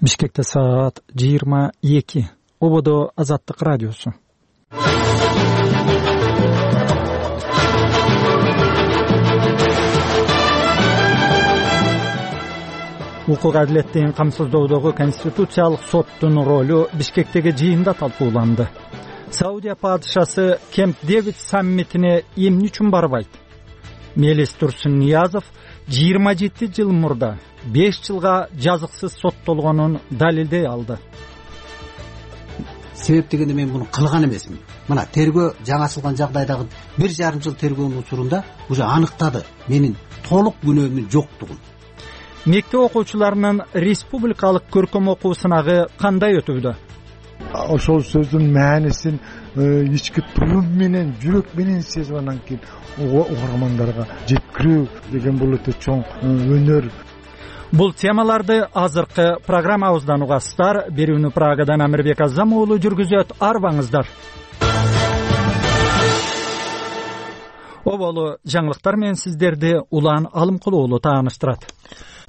Бишкекте саат 22. Ободо Азаттык радиосу. Укук адилеттин камсыздоодогу Конституциялык соттун ролу Бишкектеги жыйында талкууланды. Саудия падышасы Кемп Дэвид саммитине эмне үчүн барбайт? Мелис Турсунниязов 27 жыл мурда 5 жылга жазыксыз соттолгонун далилдей алды. Себеп дегенде мен муну кылган эмесмин. Мына тергөө жаңы ачылган жагдайдагы 1,5 жыл тергөөнүн учурунда уже аныктады менин толук күнөөмдүн жоктугун. Мектеп окуучуларынын республикалык көркөм окуу сынагы кандай өтүүдө? Ошол сөздүн маанисин ички туюм менен, жүрөк менен сезип анан кийин угармандарга жеткирүү деген бул өтө чоң өнөр. Бул темаларды азыркы программабыздан угасыздар. Берүүнү Прагадан Амирбек Азам уулу жүргүзөт. Арбаңыздар. Оболу жаңылыктар менен сиздерди Улан Алымкулуу уулу тааныштырат.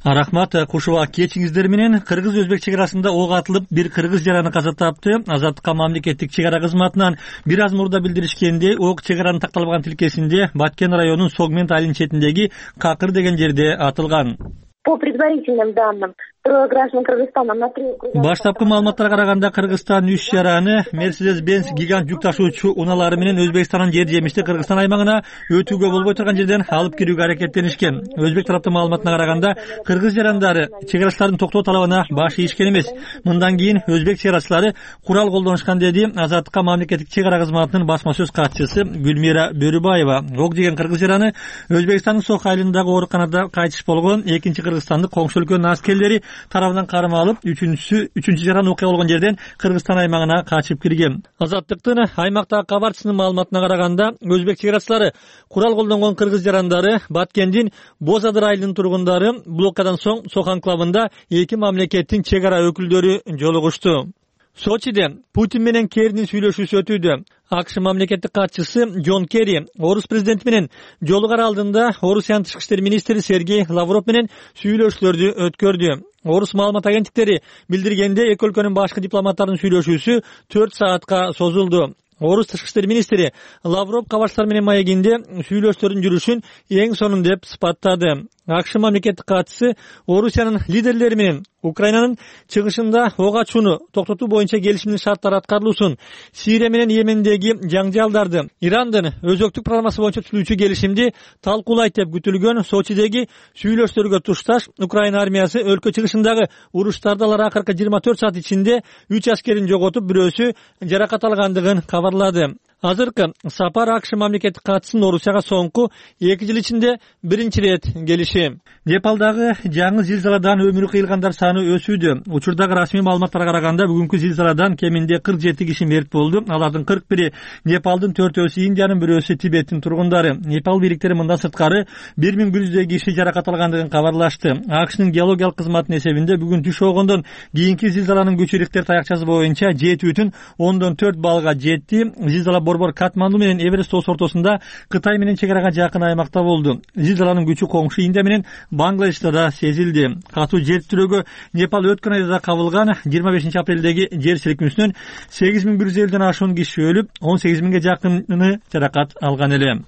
Рахмат, кушуба кечиңиздер менен. Кыргыз-Өзбек чек арасында ок атылып, бир кыргыз жараны каза тапты. Азаттыкка мамлекеттик чек ара кызматынан бир аз мурда билдиришкендей, ок чек аранын такталбаган тилкесинде Баткен районунун Согмент айылынын четиндеги Какыр деген жерде атылган. По предварительным данным, граждан Кыргызстана на 3 Баштапкы маалыматтарга караганда Кыргызстан 3 жараны Mercedes-Benz гигант жүк ташуучу унаалары менен Өзбекстандын жер жемишти Кыргызстан аймагына өтүүгө болбой турган жерден алып кирүүгө аракеттенишкен. Өзбек тараптын маалыматына караганда кыргыз жарандары чек арачылардын токтоо талабына баш ийишкен эмес. Мындан кийин өзбек чек арачылары курал колдонушкан деди Азаттыкка мамлекеттик чек ара кызматынын басма сөз катчысы Гүлмира Бөрүбаева. Ок жеген кыргыз жараны Өзбекстандын Сох айылындагы ооруканада кайтыш болгон. Экинчи Кыргызстандык коңшу өлкөнүн аскерлери тарабынан карма алып, үчүнчү жаран окуя болгон жерден Кыргызстан аймагына качып кирген. Азаттыктын аймактагы кабарчысынын маалыматына караганда, өзбек чек арачылары курал колдонгон кыргыз жарандары Баткендин Бозадыр айылынын тургундары блокадан соң Сох анклавында эки мамлекеттин чек ара өкүлдөрү жолугушту. Сочиде Путин менен Керринин сүйлөшүүсү өтүүдө. АКШ мамлекеттик катчысы Джон Керри орус президенти менен жолугар алдында Орусиянын тышкы иштер министри Сергей Лавров менен сүйлөшүүлөрдү өткөрдү. Орус маалымат агенттиктери билдиргенде эки өлкөнүн башкы дипломаттарынын сүйлөшүүсү 4 саатка созулду. Орус тышкы иштер министри Лавров кабарчылар менен маегинде сүйлөшүүлөрдүн жүрүшүн эң сонун деп сыпаттады. АКШ мамлекеттик катчысы Орусиянын лидерлери менен Украинанын чыгышында ок ачууну токтотуу боюнча келишимдин шарттары аткарылуусун, Сирия менен Йемендеги жаңжалдарды, Ирандын өзөктүк программасы боюнча түзүүчү келишимди талкуулайт деп күтүлгөн Сочидеги сүйлөшүүлөргө тушташ Украина армиясы өлкө чыгышындагы уруштарда алар акыркы 24 саат ичинде 3 аскерин жоготуп, бирөөсү жаракат алгандыгын кабарлады. Азыркы сапар АКШ мамлекеттик катчысынын Орусияга соңку 2 жыл ичинде биринчи ирет келиши. Непалдагы жаңы зилзаладан өмүрү кыйылгандар саны өсүүдө. Учурдагы расмий маалыматтарга караганда бүгүнкү зилзаладан кеминде 47 киши мерт болду. Алардын 41-и Непалдын, 4-өсү Индиянын, 1-өсү Тибеттин тургундары. Непал бийликтери мындан сырткары 1100 киши жаракат алгандыгын кабарлашты. АКШнын геологиялык кызматынын эсебинде бүгүн түш огондон кийинки зилзаланын күчү Рихтер таякчасы боюнча 7,4 баллга жетти. Зилзала Борбор Катманду менен Эверест тоосу ортосунда Кытай менен чек арага жакын аймакта болду. Зилзаланын күчү коңшу Индия менен Бангладеште да сезилди. Катуу жер титирөөгө Непал өткөн айда кабылган 25 апрелдеги жер силкинүүсүнөн 8150ден ашуун киши өлүп, 18000ге жакыны жаракат алган эле.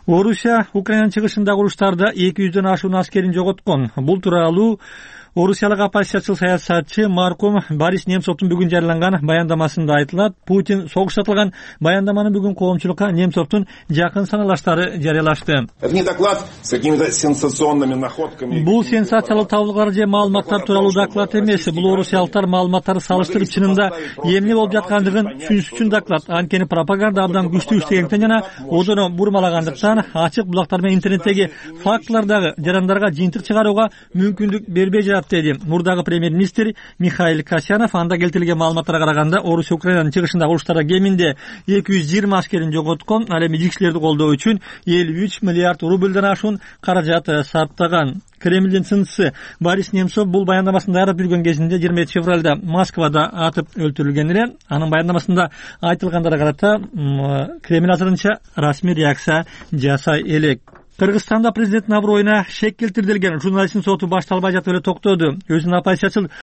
Орусия Украинанын чыгышындагы уруштарда 200дөн ашуун аскерин жоготкон. Бул тууралуу Орусиялык оппозициячыл саясатчы маркум Борис Немцовдун бүгүн жарыяланган баяндамасында айтылат. Путин согушта атылган баяндаманы бүгүн коомчулукка Немцовдун жакын саналаштары жарыялашты. Бул сенсациялык табылгалар же маалыматтар тууралуу доклад эмес. Бул орусиялыктар маалыматтарды салыштырып чынында эмне болуп жаткандыгын түшүнүш үчүн доклад. Анткени пропаганда абдан күчтүү иштегендиктен жана озону бурмалагандыктан ачык булактар менен интернеттеги фактылардагы жарандарга жыйынтык чыгарууга мүмкүндүк бербей жатат, деди мурдагы премьер-министр Михаил Касьянов. Анда келтирилген маалыматтарга караганда Орусия Украинанын чыгышындагы уруштарда кеминде 220 аскерин жоготкон. Ал эми жигишчилерди колдоо үчүн 53 миллиард рубльдан ашуун каражат сарптаган. Кремлдин сынчысы Борис Немцов бул баяндамасын даярдап жүргөн кезинде 27 февралда Москвада атып өлтүрүлгөн эле. Анын баяндамасында айтылгандарга карата Кремль азырынча расмий реакция жасай элек. Кыргызстанда президенттин аброюна шек келтирилген журналисттин соту башталбай жатып эле токтоду. Өзүнүн оппозициячыл